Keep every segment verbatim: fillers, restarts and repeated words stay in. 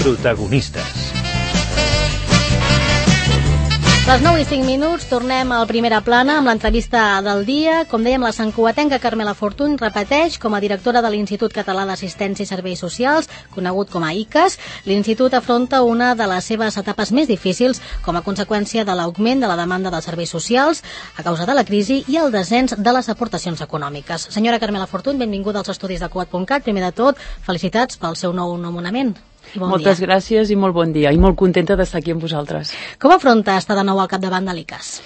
Protagonistes. Les nou i cinc minuts, tornem al Primera Plana amb l'entrevista del dia. Com dèiem, la santcugatenca Carmela Fortuny repeteix com a directora de l'Institut Català d'Assistència i Serveis Socials, conegut com a I C A S. L'Institut afronta una de les seves etapes més difícils com a conseqüència de l'augment de la demanda dels serveis socials a causa de la crisi i el descens de les aportacions econòmiques. Senyora Carmela Fortuny, benvinguda als estudis de Cugat punt cat. Primer de tot, felicitats pel seu nou nomenament. Bon Moltes dia. gràcies i molt bon dia, i molt contenta d'estar aquí amb vosaltres. Com afronta estar de nou al capdavant de l'I C A S?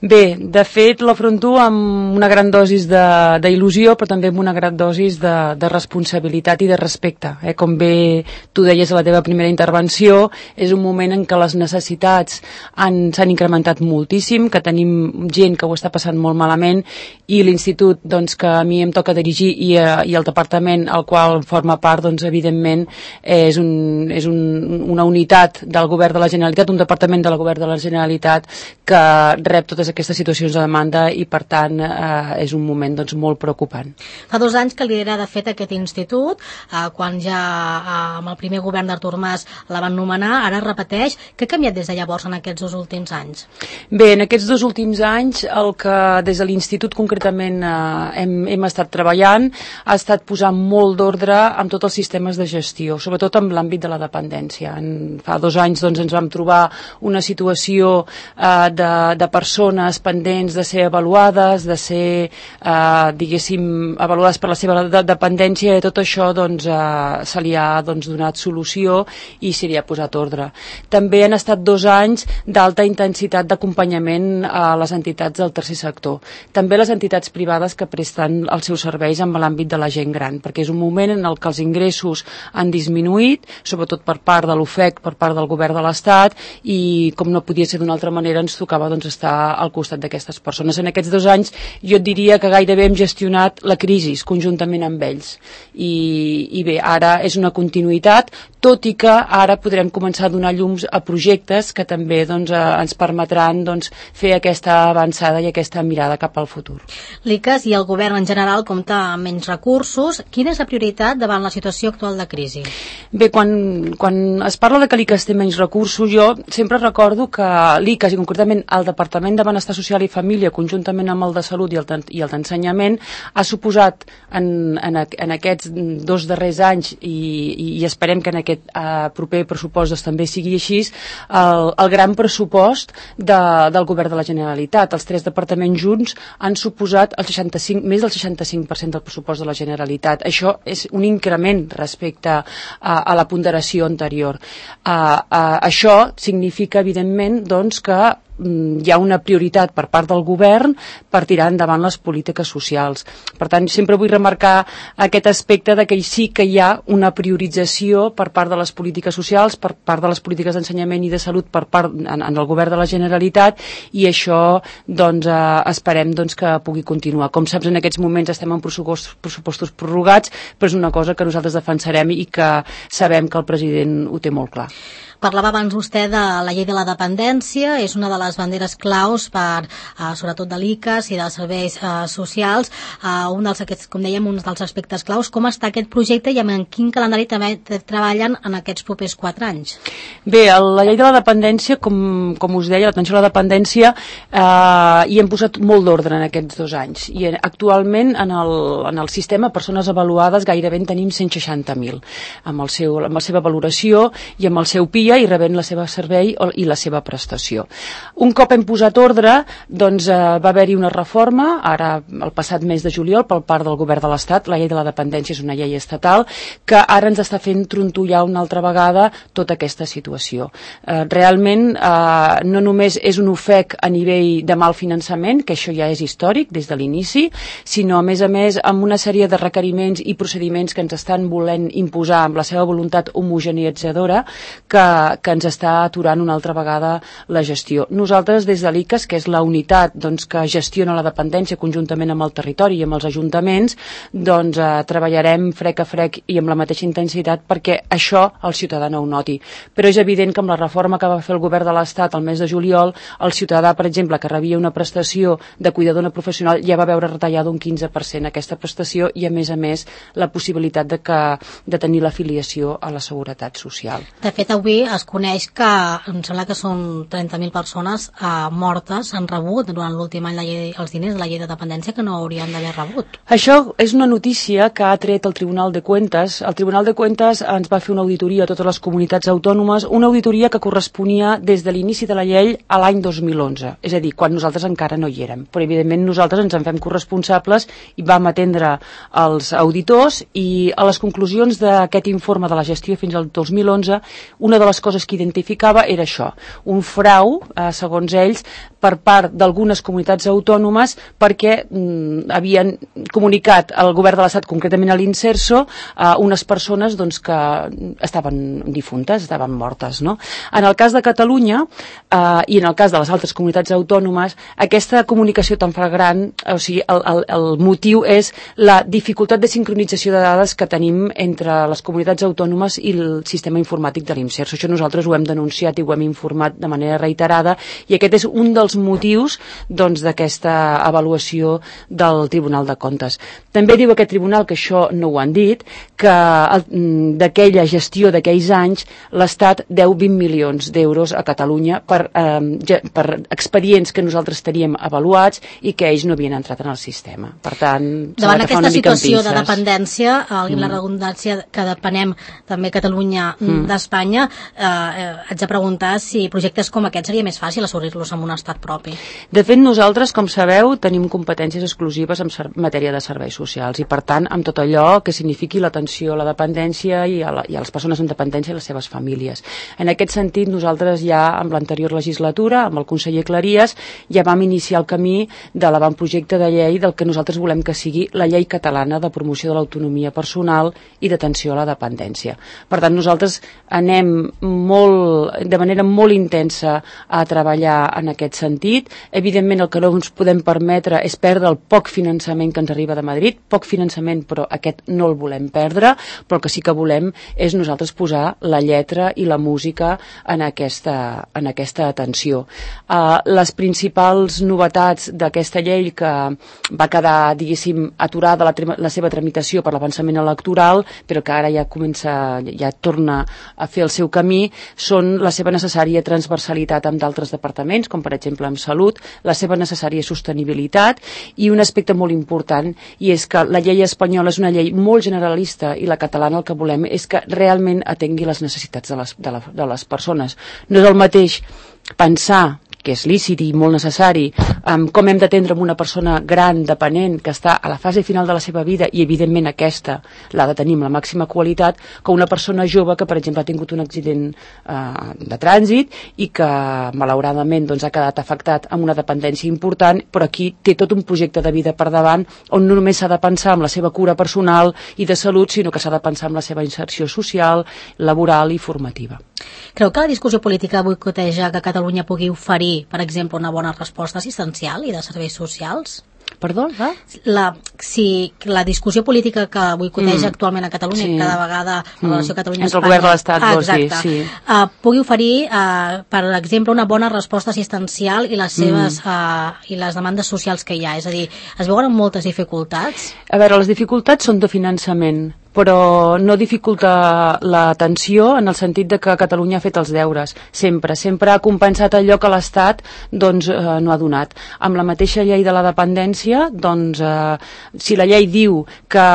Bé, de fet l'afronto amb una gran dosis d'il·lusió, però també amb una gran dosis de, de responsabilitat i de respecte. Eh? Com bé tu deies a la teva primera intervenció, és un moment en què les necessitats s'han incrementat moltíssim, que tenim gent que ho està passant molt malament, i l'Institut doncs, que a mi em toca dirigir i, eh, i el departament al qual forma part, doncs, evidentment, eh, és, un, és un, una unitat del Govern de la Generalitat, un departament del Govern de la Generalitat que rep totes aquestes situacions de demanda i, per tant, eh, és un moment doncs, molt preocupant. Fa dos anys que lidera, de fet, aquest institut, eh, quan ja eh, amb el primer govern d'Artur Mas la van nomenar, ara repeteix. Què ha canviat des de llavors en aquests dos últims anys? Bé, en aquests dos últims anys el que des de l'Institut concretament eh, hem, hem estat treballant ha estat posar molt d'ordre amb tots els sistemes de gestió, sobretot en l'àmbit de la dependència. En, fa dos anys doncs, ens vam trobar una situació eh, de, de persones pendents de ser avaluades, de ser, eh, diguéssim, avaluades per la seva de dependència, i tot això doncs, eh, se li ha doncs, donat solució i se li ha posat ordre. També han estat dos anys d'alta intensitat d'acompanyament a les entitats del tercer sector. També les entitats privades que presten els seus serveis en l'àmbit de la gent gran, perquè és un moment en el que els ingressos han disminuït, sobretot per part de l'U F E C, per part del govern de l'Estat, i com no podia ser d'una altra manera ens tocava doncs, estar al costat d'aquestes persones. En aquests dos anys jo et diria que gairebé hem gestionat la crisi conjuntament amb ells. I, i bé, ara és una continuïtat, tot i que ara podrem començar a donar llums a projectes que també doncs, eh, ens permetran doncs, fer aquesta avançada i aquesta mirada cap al futur. L'I C A S i el govern en general compta amb menys recursos. Quina és la prioritat davant la situació actual de crisi? Bé, quan, quan es parla de que l'I C A S té menys recursos, jo sempre recordo que l'I C A S, i concretament el Departament de Benestar Social i Família, conjuntament amb el de Salut i el, i el d'Ensenyament, ha suposat en, en, en aquests dos darrers anys, i, i esperem que en aquest eh, proper pressupost doncs, també sigui així, el, el gran pressupost de, del govern de la Generalitat. Els tres departaments junts han suposat el seixanta-cinc, més del seixanta-cinc per cent del pressupost de la Generalitat. Això és un increment respecte a, a la ponderació anterior. Uh, uh, això significa, evidentment, doncs, que hi ha una prioritat per part del govern per tirar endavant les polítiques socials. Per tant, sempre vull remarcar aquest aspecte de que sí que hi ha una priorització per part de les polítiques socials, per part de les polítiques d'ensenyament i de salut per part en, en el govern de la Generalitat, i això doncs, eh, esperem doncs, que pugui continuar. Com saps, en aquests moments estem en pressupostos, pressupostos prorrogats, però és una cosa que nosaltres defensarem i que sabem que el president ho té molt clar. Parlava abans vostè de la llei de la dependència, és una de les banderes claus per, eh, sobretot de l'I C A S i dels serveis eh, socials, eh, un dels, aquests, com dèiem, un dels aspectes claus. Com està aquest projecte i en quin calendari també treballen en aquests propers quatre anys? Bé, la llei de la dependència, com, com us deia, l'atenció a la dependència, eh, hi hem posat molt d'ordre en aquests dos anys, i actualment en el, en el sistema persones avaluades gairebé en tenim cent seixanta mil, amb, el seu, amb la seva valoració i amb el seu P I A i rebent la seva servei i la seva prestació. Un cop hem posat ordre, doncs eh, va haver-hi una reforma, ara el passat mes de juliol, per part del govern de l'Estat. La llei de la dependència és una llei estatal que ara ens està fent trontollar una altra vegada tota aquesta situació. Eh, realment eh, no només és un ofec a nivell de mal finançament, que això ja és històric des de l'inici, sinó a més a més amb una sèrie de requeriments i procediments que ens estan volent imposar amb la seva voluntat homogeneitzadora, que que ens està aturant una altra vegada la gestió. Nosaltres, des de l'I C A S, que és la unitat doncs, que gestiona la dependència conjuntament amb el territori i amb els ajuntaments, doncs eh, treballarem frec a frec i amb la mateixa intensitat perquè això el ciutadà no ho noti. Però és evident que amb la reforma que va fer el govern de l'Estat el mes de juliol, el ciutadà, per exemple, que rebia una prestació de cuidador no professional ja va veure retallada un quinze per cent aquesta prestació i, a més a més, la possibilitat de, que, de tenir l'afiliació a la Seguretat Social. De fet, avui es coneix que em sembla que són trenta mil persones eh, mortes, han rebut durant l'últim any la llei, els diners de la llei de dependència que no haurien d'haver rebut. Això és una notícia que ha tret el Tribunal de Cuentas. El Tribunal de Cuentas ens va fer una auditoria a totes les comunitats autònomes, una auditoria que corresponia des de l'inici de la llei a l'any dos mil onze, és a dir, quan nosaltres encara no hi érem. Però, evidentment, nosaltres ens en fem corresponsables i vam atendre els auditors i a les conclusions d'aquest informe de la gestió fins al dos mil onze, una de les coses que identificava era això, un frau, eh, segons ells, per part d'algunes comunitats autònomes perquè mm, havien comunicat al govern de l'Estat, concretament a l'Inserso, a unes persones doncs, que estaven difuntes, estaven mortes. No? En el cas de Catalunya eh, i en el cas de les altres comunitats autònomes, aquesta comunicació tan flagrant, o sigui, el, el, el motiu és la dificultat de sincronització de dades que tenim entre les comunitats autònomes i el sistema informàtic de l'Inserso. Això nosaltres ho hem denunciat i ho hem informat de manera reiterada i aquest és un dels motius doncs, d'aquesta avaluació del Tribunal de Comptes. També diu aquest tribunal, que això no ho han dit, que d'aquella gestió d'aquells anys l'Estat deu vint milions d'euros a Catalunya per, eh, per expedients que nosaltres teníem avaluats i que ells no havien entrat en el sistema. Per tant, davant aquesta situació de dependència, mm. la redundància que depenem també Catalunya mm. d'Espanya, eh, haig de preguntar si projectes com aquest seria més fàcil assolir-los amb un estat propi. De fet, nosaltres, com sabeu, tenim competències exclusives en matèria de serveis socials i, per tant, amb tot allò que signifiqui l'atenció a la dependència i a, la, i a les persones en dependència i les seves famílies. En aquest sentit, nosaltres ja, amb l'anterior legislatura, amb el conseller Cleries, ja vam iniciar el camí de l'avantprojecte de llei del que nosaltres volem que sigui la llei catalana de promoció de l'autonomia personal i d'atenció a la dependència. Per tant, nosaltres anem molt, de manera molt intensa a treballar en aquest sentit. Evidentment, el que no ens podem permetre és perdre el poc finançament que ens arriba de Madrid, poc finançament, però aquest no el volem perdre, però el que sí que volem és nosaltres posar la lletra i la música en aquesta, en aquesta atenció. Uh, les principals novetats d'aquesta llei que va quedar, diguéssim, aturada la, la seva tramitació per l'avançament electoral, però que ara ja comença, ja torna a fer el seu camí, són la seva necessària transversalitat amb d'altres departaments, com per exemple amb Salut, la seva necessària sostenibilitat i un aspecte molt important, i és que la llei espanyola és una llei molt generalista i la catalana el que volem és que realment atengui les necessitats de les, de la, de les persones. No és el mateix pensar que és lícit i molt necessari, um, com hem d'atendre amb una persona gran, dependent, que està a la fase final de la seva vida i, evidentment, aquesta l'ha de tenir amb la màxima qualitat, que una persona jove que, per exemple, ha tingut un accident uh, de trànsit i que, malauradament, doncs, ha quedat afectat amb una dependència important, però aquí té tot un projecte de vida per davant on no només s'ha de pensar en la seva cura personal i de salut, sinó que s'ha de pensar en la seva inserció social, laboral i formativa. Creu que la discussió política boicoteja que Catalunya pugui oferir, per exemple, una bona resposta assistencial i de serveis socials? Perdó, va? La, si la discussió política que boicoteja mm. actualment a Catalunya, sí. cada vegada la relació mm. Catalunya-Espanya... Entre el govern de l'Estat, ah, vols dir, sí. Uh, pugui oferir, uh, per exemple, una bona resposta assistencial i les seves mm. uh, i les demandes socials que hi ha. És a dir, es veuen moltes dificultats? A veure, les dificultats són de finançament, però no dificulta l'atenció en el sentit de que Catalunya ha fet els deures, sempre, sempre ha compensat allò que l'Estat doncs, eh, no ha donat. Amb la mateixa llei de la dependència, doncs, eh, si la llei diu que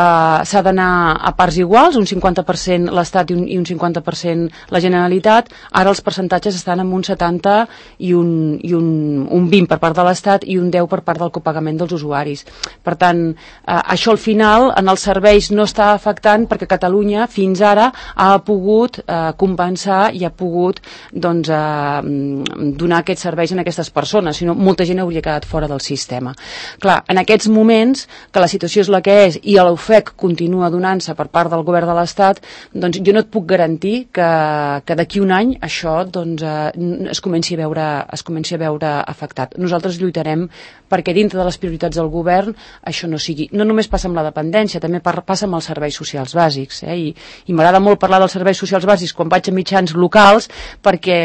s'ha d'anar a parts iguals, un cinquanta per cent l'Estat i un, i un cinquanta per cent la Generalitat, ara els percentatges estan en un setanta i un, i un, un vint per part de l'Estat i un deu per part del copagament dels usuaris. Per tant, eh, això al final, en els serveis no està afectat important perquè Catalunya fins ara ha pogut eh, compensar i ha pogut doncs, eh, donar aquests serveis a aquestes persones, sinó molta gent hauria quedat fora del sistema. Clar, en aquests moments, que la situació és la que és i l'ofec continua donant-se per part del govern de l'Estat, doncs jo no et puc garantir que, que d'aquí un any això doncs, eh, es, comenci a veure, es comenci a veure afectat. Nosaltres lluitarem perquè dintre de les prioritats del govern això no sigui. No només passa amb la dependència, també passa amb els serveis socials bàsics. Eh? I, i m'agrada molt parlar dels serveis socials bàsics quan vaig a mitjans locals perquè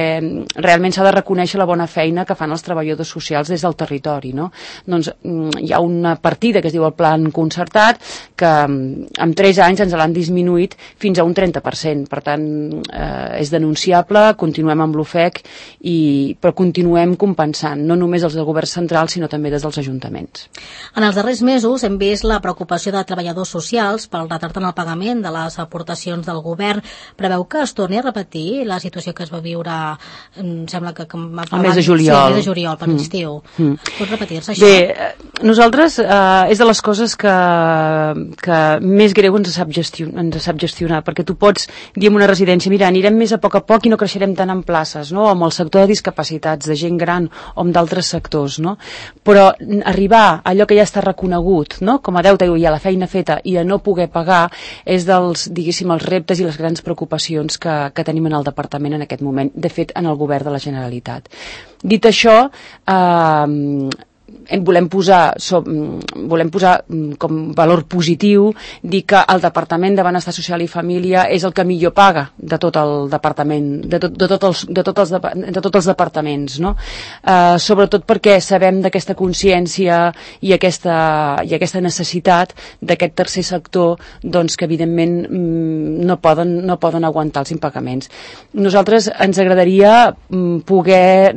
realment s'ha de reconèixer la bona feina que fan els treballadors socials des del territori. No? Doncs hi ha una partida que es diu el Plan Concertat que en tres anys ens l'han disminuït fins a un trenta per cent. Per tant, eh, és denunciable, continuem amb l'ofec, i, però continuem compensant, no només els del govern central, sinó també des dels ajuntaments. En els darrers mesos hem vist la preocupació de treballadors socials pel retard en el pagament de les aportacions del govern. Preveu que es torni a repetir la situació que es va viure, em sembla que... que el mes de juliol. Sí, el mes de juliol, per l'estiu. Mm. Mm. Pot repetir-se això? Bé, nosaltres eh, és de les coses que, que més greu ens sap, gestion, ens sap gestionar, perquè tu pots dir en una residència, mira, anirem més a poc a poc i no creixerem tant en places, no? Amb el sector de discapacitats, de gent gran o amb d'altres sectors, no? Però arribar a allò que ja està reconegut, no? Com a deute i a la feina feta i a no poder pagar és dels, diguéssim, els reptes i les grans preocupacions que, que tenim en el departament en aquest moment, de fet en el govern de la Generalitat. Dit això, eh, volem posar, so, volem posar com valor positiu dir que el Departament de Benestar Social i Família és el que millor paga de tot el departament, de, tot, de, tot els, de, tot els, de tots els departaments, no? Eh, sobretot perquè sabem d'aquesta consciència i aquesta, i aquesta necessitat d'aquest tercer sector, doncs, que evidentment no poden, no poden aguantar els impagaments. Nosaltres ens agradaria poder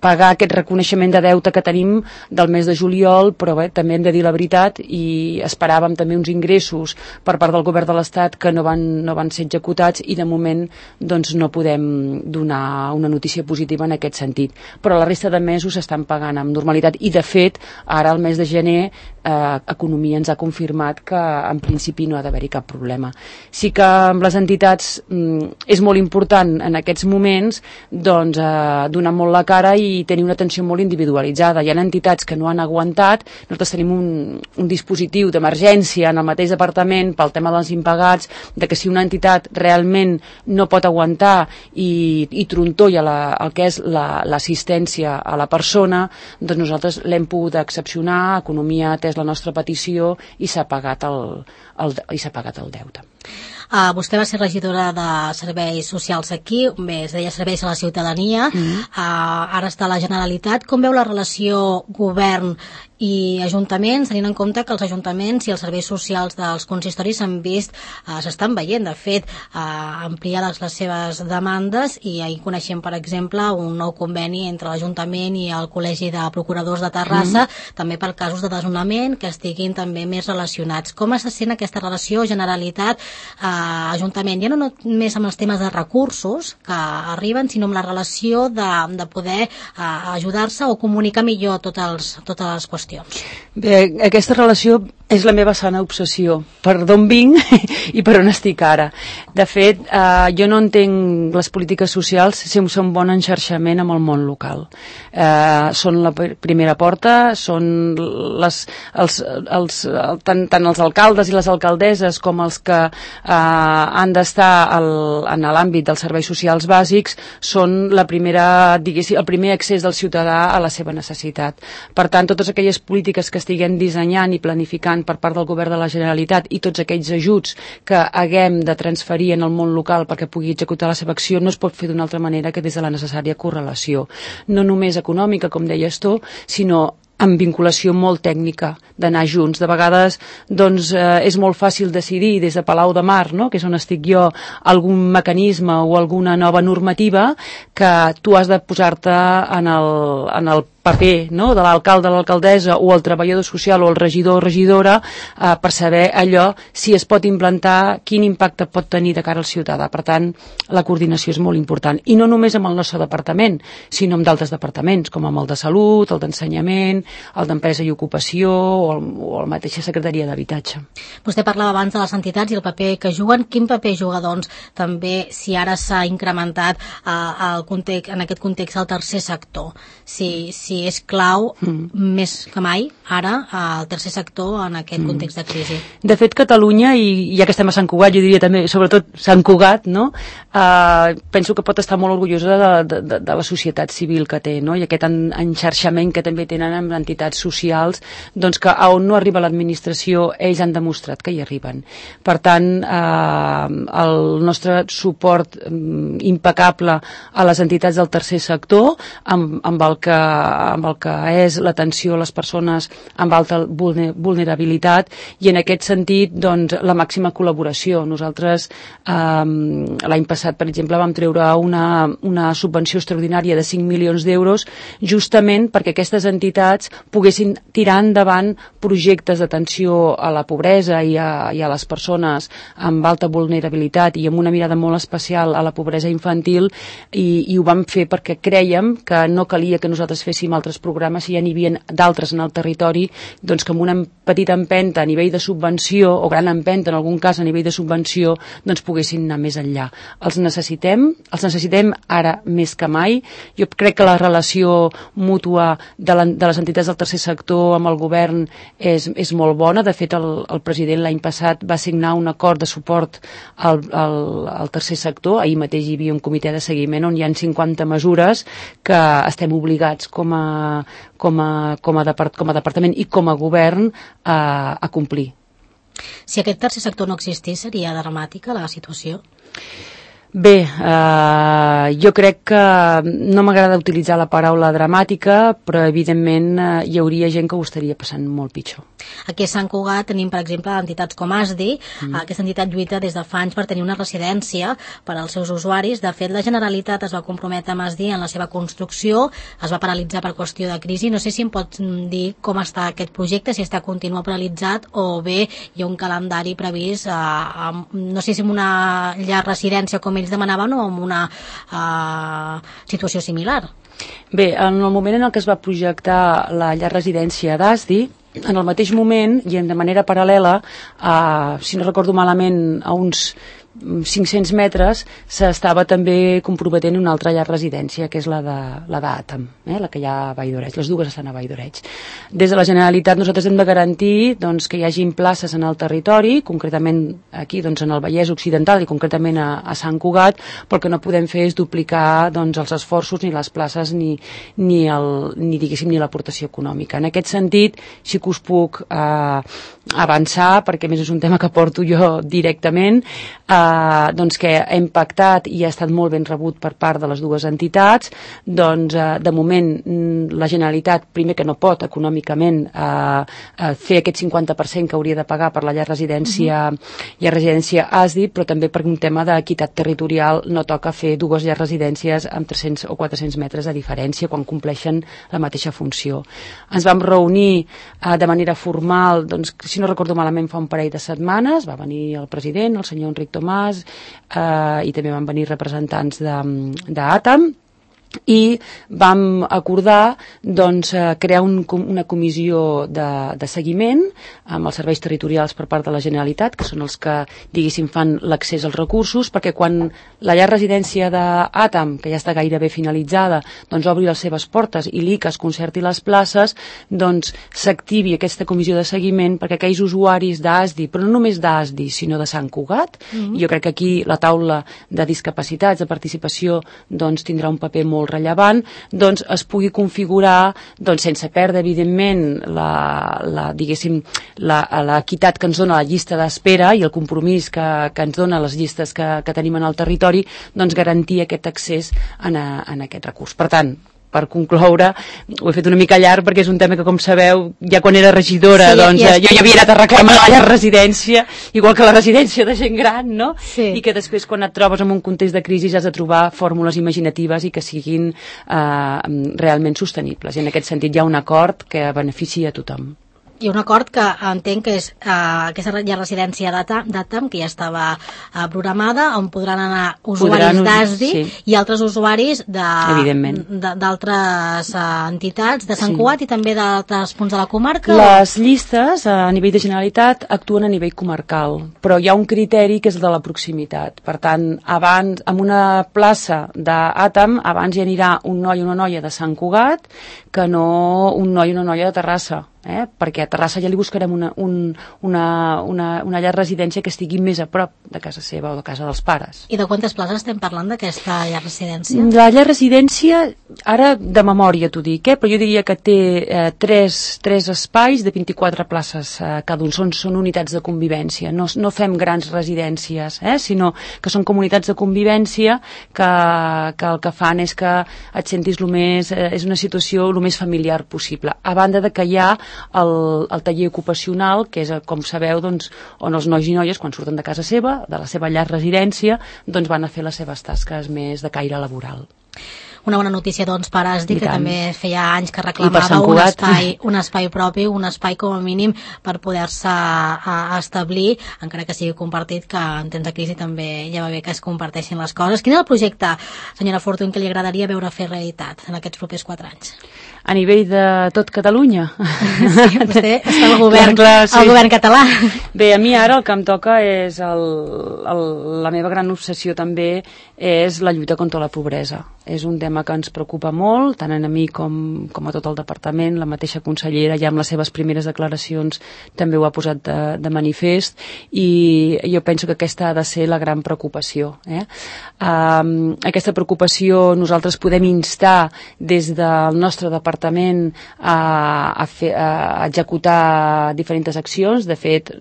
pagar aquest reconeixement de deute que tenim del mes de juliol, però bé, també hem de dir la veritat i esperàvem també uns ingressos per part del govern de l'Estat que no van, no van ser executats i de moment doncs, no podem donar una notícia positiva en aquest sentit. Però la resta de mesos s'estan pagant amb normalitat i de fet ara el mes de gener eh, Economia ens ha confirmat que en principi no ha d'haver-hi cap problema. Sí que amb les entitats mm, és molt important en aquests moments doncs, eh, donar molt la cara i tenir una atenció molt individualitzada. Hi ha entitats que no han aguantat, nosaltres tenim un, un dispositiu d'emergència en el mateix departament pel tema dels impagats, de que si una entitat realment no pot aguantar i, i trontolla la, el que és l'assistència la, a la persona, doncs nosaltres l'hem pogut excepcionar, Economia ha atès la nostra petició i s'ha pagat el, el, i s'ha pagat el deute. Uh, vostè va ser regidora de Serveis Socials aquí, bé, es deia Serveis a la Ciutadania, mm-hmm. uh, ara està a la Generalitat. Com veu la relació govern i ajuntaments, tenint en compte que els ajuntaments i els serveis socials dels consistoris s'han vist, uh, s'estan veient, de fet, uh, ampliades les seves demandes i ahir coneixem, per exemple, un nou conveni entre l'Ajuntament i el Col·legi de Procuradors de Terrassa, mm-hmm. també per casos de desnonament que estiguin també més relacionats. Com se sent aquesta relació Generalitat uh, Ajuntament, ja no només amb els temes de recursos que arriben, sinó amb la relació de, de poder uh, ajudar-se o comunicar millor totes, els, totes les qüestions? Bé, aquesta relació és la meva sana obsessió, per d'on vinc i per on estic ara. De fet, eh, jo no entenc les polítiques socials si són bon enxarxament amb el món local. Eh, són la primera porta, són les, els, els, tant, tant els alcaldes i les alcaldesses com els que eh, han d'estar en l'àmbit dels serveis socials bàsics, són la primera, diguéssim, el primer accés del ciutadà a la seva necessitat. Per tant, totes aquelles polítiques que estiguem dissenyant i planificant per part del govern de la Generalitat i tots aquells ajuts que haguem de transferir en el món local perquè pugui executar la seva acció no es pot fer d'una altra manera que des de la necessària correlació. No només econòmica, com deies tu, sinó amb vinculació molt tècnica, d'anar junts. De vegades doncs, eh, és molt fàcil decidir des de Palau de Mar, no? Que és on estic jo, algun mecanisme o alguna nova normativa que tu has de posar-te en el, en el paper, no?, de l'alcalde, l'alcaldessa o el treballador social o el regidor o regidora eh, per saber allò si es pot implantar, quin impacte pot tenir de cara al ciutadà. Per tant, la coordinació és molt important. I no només amb el nostre departament, sinó amb d'altres departaments, com amb el de Salut, el d'Ensenyament, el d'Empresa i Ocupació o el, o la mateixa Secretaria d'Habitatge. Vostè parlava abans de les entitats i el paper que juguen. Quin paper juga, doncs, també si ara s'ha incrementat eh, el context, en aquest context el tercer sector? Si, si és clau, mm. més que mai, ara, el tercer sector en aquest mm. context de crisi. De fet, Catalunya, i ja que estem a Sant Cugat, jo diria també, sobretot Sant Cugat, no? Uh, penso que pot estar molt orgullosa de, de, de la societat civil que té, no? I aquest en, enxarxament que també tenen amb entitats socials, doncs que a on no arriba l'administració, ells han demostrat que hi arriben. Per tant, uh, el nostre suport um, impecable a les entitats del tercer sector, amb, amb, el, que, amb el que és l'atenció a les persones amb alta vulnerabilitat, i en aquest sentit, doncs, la màxima col·laboració. Nosaltres, eh, l'any passat, per exemple, vam treure una, una subvenció extraordinària de cinc milions d'euros justament perquè aquestes entitats poguessin tirar endavant projectes d'atenció a la pobresa i a, i a les persones amb alta vulnerabilitat i amb una mirada molt especial a la pobresa infantil, i, i ho vam fer perquè crèiem que no calia que nosaltres féssim altres programes, si ja n'hi havia d'altres en el territori, doncs que amb una petita empenta a nivell de subvenció, o gran empenta en algun cas a nivell de subvenció, doncs poguessin anar més enllà. Els necessitem, els necessitem ara més que mai. Jo crec que la relació mútua de, la, de les entitats del tercer sector amb el govern és, és molt bona. De fet, el, el president l'any passat va signar un acord de suport al, al, al tercer sector. Ahir mateix hi havia un comitè de seguiment on hi ha cinquanta mesures que estem obligats com a, com a, com a, depart, com a departament i com a govern a, a complir. Si aquest tercer sector no existís, seria dramàtica la situació? Bé, eh, jo crec que no m'agrada utilitzar la paraula dramàtica, però evidentment eh, hi hauria gent que ho estaria passant molt pitjor. Aquí a Sant Cugat tenim, per exemple, entitats com A S D I. Mm. Aquesta entitat lluita des de fa anys per tenir una residència per als seus usuaris. De fet, la Generalitat es va comprometre amb A S D I en la seva construcció, es va paralitzar per qüestió de crisi. No sé si em pots dir com està aquest projecte, si està continua paralitzat o bé hi ha un calendari previst, eh, no sé si amb una llar residència com ells demanaven o amb una uh, situació similar. Bé, en el moment en el que es va projectar la llar residència d'A S D I, en el mateix moment i de manera paral·lela, uh, si no recordo malament, a uns cinc-cents metres s'estava també comprometent una altra llar residència, que és la de la d'Àtam, eh, la que hi ha a Valldoreig. Les dues estan a Valldoreig. Des de la Generalitat nosaltres hem de garantir, doncs, que hi hagin places en el territori, concretament aquí, doncs, en el Vallès Occidental i concretament a, a Sant Cugat, però el que no podem fer és duplicar, doncs, els esforços ni les places ni, ni, el, ni diguéssim ni l'aportació econòmica. En aquest sentit sí que us puc eh, avançar, perquè més és un tema que porto jo directament, eh, Uh, doncs que ha impactat i ha estat molt ben rebut per part de les dues entitats. Doncs uh, de moment la Generalitat, primer que no pot econòmicament uh, uh, fer aquest cinquanta per cent que hauria de pagar per la llar residència, uh-huh. llar residència A S D I, però també per un tema d'equitat territorial no toca fer dues llars residències amb tres-cents o quatre-cents metres de diferència quan compleixen la mateixa funció. Ens vam reunir uh, de manera formal, doncs, si no recordo malament, fa un parell de setmanes. Va venir el president, el senyor Enric Tomàs, Uh, i també van venir representants d'Àtam, i vam acordar, doncs, crear un, una comissió de, de seguiment amb els serveis territorials per part de la Generalitat, que són els que, diguéssim, fan l'accés als recursos, perquè quan la llar residència d'Àtam, que ja està gairebé finalitzada, doncs obri les seves portes i l'I C A es concerti les places, doncs s'activi aquesta comissió de seguiment perquè aquells usuaris d'A S D I, però no només d'A S D I, sinó de Sant Cugat, mm-hmm. jo crec que aquí la taula de discapacitats, de participació, doncs tindrà un paper molt molt rellevant, doncs es pugui configurar, doncs sense perdre evidentment la, la diguéssim l'equitat que ens dona la llista d'espera i el compromís que, que ens dona les llistes que, que tenim en el territori, doncs garantir aquest accés en, a, en aquest recurs. Per tant, per concloure, ho he fet una mica llarg perquè és un tema que, com sabeu, ja quan era regidora, sí, doncs ja, ja jo ja havia anat a reclamar la llar residència, igual que la residència de gent gran, no? Sí. I que després, quan et trobes en un context de crisi, has de trobar fórmules imaginatives i que siguin eh, realment sostenibles. I en aquest sentit hi ha un acord que beneficia a tothom. I un acord que entenc que és eh, aquesta llar residència d'Atam, que ja estava eh, programada, on podran anar usuaris d'A S D I, sí, i altres usuaris d'altres eh, entitats de Sant sí. Cugat i també d'altres punts de la comarca? Les o? llistes a nivell de Generalitat actuen a nivell comarcal, però hi ha un criteri que és el de la proximitat. Per tant, abans, en una plaça d'Atam, abans hi anirà un noi o una noia de Sant Cugat que no un noi o una noia de Terrassa. Eh? Perquè a Terrassa ja li buscarem una, un, una, una, una llar residència que estigui més a prop de casa seva o de casa dels pares. I de quantes places estem parlant d'aquesta llar residència? La llar residència, ara de memòria t'ho dic, eh? Però jo diria que té eh, tres, tres espais de vint-i-quatre places eh, cada un. Són, són unitats de convivència. No, no fem grans residències, eh? Sinó que són comunitats de convivència que, que el que fan és que et sentis lo més, eh, és una situació el més familiar possible. A banda de que hi ha El, el taller ocupacional, que és, com sabeu, doncs, on els nois i noies, quan surten de casa seva, de la seva llar residència, doncs van a fer les seves tasques més de caire laboral. Una bona notícia, doncs, per A S D I, que també feia anys que reclamava un espai, un espai propi, un espai com a mínim per poder-se establir, encara que sigui compartit, que en temps de crisi també ja va bé que es comparteixin les coses. Quin és el projecte, senyora Fortuny, que li agradaria veure fer realitat en aquests propers quatre anys? A nivell de tot Catalunya? Sí, vostè està al govern, clar, clar, sí. al govern català. Bé, a mi ara el que em toca és el, el, la meva gran obsessió també és la lluita contra la pobresa. És un tema que ens preocupa molt, tant a mi com, com a tot el departament. La mateixa consellera ja amb les seves primeres declaracions també ho ha posat de, de manifest, i jo penso que aquesta ha de ser la gran preocupació. Eh? Um, aquesta preocupació nosaltres podem instar des del nostre departament a, a, fer, a executar diferents accions. De fet,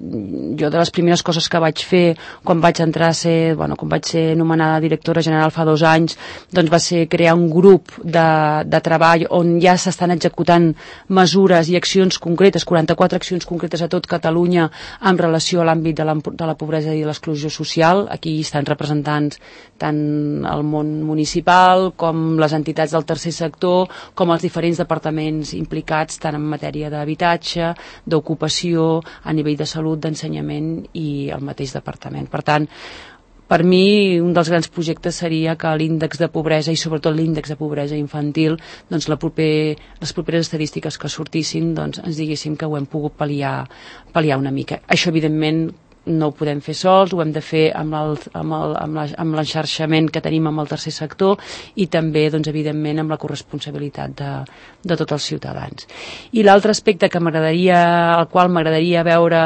jo de les primeres coses que vaig fer quan vaig entrar a ser, bueno, quan vaig ser nomenada directora general fa dos anys, doncs va ser crear un grup de, de treball on ja s'estan executant mesures i accions concretes, quaranta-quatre accions concretes a tot Catalunya en relació a l'àmbit de la, de la pobresa i de l'exclusió social. Aquí estan representants tant el món municipal com les entitats del tercer sector, com els diferents departaments implicats tant en matèria d'habitatge, d'ocupació, a nivell de salut, d'ensenyament i el mateix departament. Per tant, per mi, un dels grans projectes seria que l'índex de pobresa i sobretot l'índex de pobresa infantil, doncs la proper, les properes estadístiques que sortissin, doncs ens diguéssim que ho hem pogut pal·liar, pal·liar una mica. Això, evidentment, no ho podem fer sols, ho hem de fer amb el, amb el, amb l'enxarxament que tenim amb el tercer sector i també, doncs, evidentment, amb la corresponsabilitat de, de tots els ciutadans. I l'altre aspecte que m'agradaria, al qual m'agradaria veure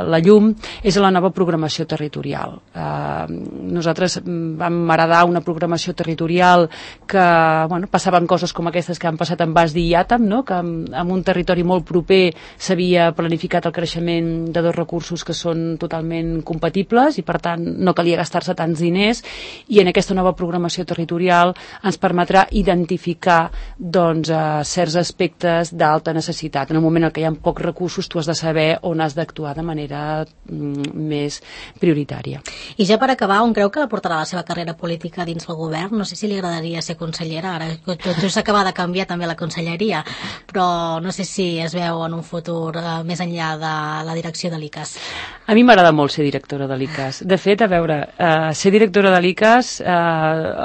la llum, és la nova programació territorial. Eh, nosaltres vam heredar una programació territorial que, bueno, passaven coses com aquestes que han passat amb A S D I i Atam, no? Que en, en un territori molt proper s'havia planificat el creixement de dos recursos que són totalment compatibles i per tant no calia gastar-se tants diners, i en aquesta nova programació territorial ens permetrà identificar doncs, eh, certs aspectes d'alta necessitat. En el moment en què hi ha pocs recursos tu has de saber on has d'actuar de manera mm, més prioritària. I ja per acabar, on creu que portarà la seva carrera política dins el govern? No sé si li agradaria ser consellera, ara tot just s'acaba de canviar també la conselleria, però no sé si es veu en un futur eh, més enllà de la direcció de l'I C A S. A mi m'agrada molt ser directora de l'I C A S. De fet, a veure, eh, ser directora de l'I C A S, eh,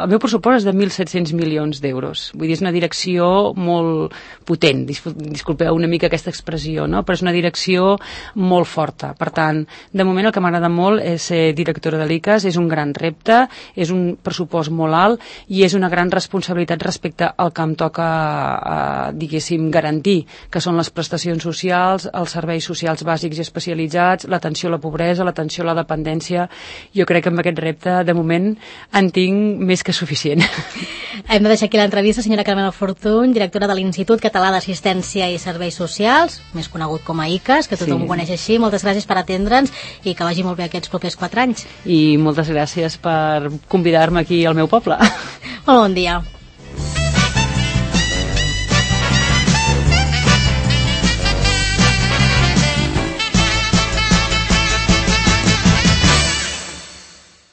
el meu pressupost és de mil set-cents milions d'euros. Vull dir, és una direcció molt potent, disculpeu una mica aquesta expressió, no? Però és una direcció molt forta. Per tant, de moment el que m'agrada molt és ser directora de l'I C A S, és un gran repte, és un pressupost molt alt i és una gran responsabilitat respecte al que em toca, eh, diguéssim, garantir, que són les prestacions socials, els serveis socials bàsics i especialitzats, l'atenció a la pobresa, l'atenció a la dependència. Jo crec que amb aquest repte, de moment, en tinc més que suficient. Hem de deixar aquí l'entrevista, senyora Carmela Fortuny, directora de l'Institut Català d'Assistència i Serveis Socials, més conegut com a I C A S, que tothom sí. ho coneix així. Moltes gràcies per atendre'ns i que vagi molt bé aquests propers quatre anys. I moltes gràcies per convidar-me aquí al meu poble. Molt bon dia.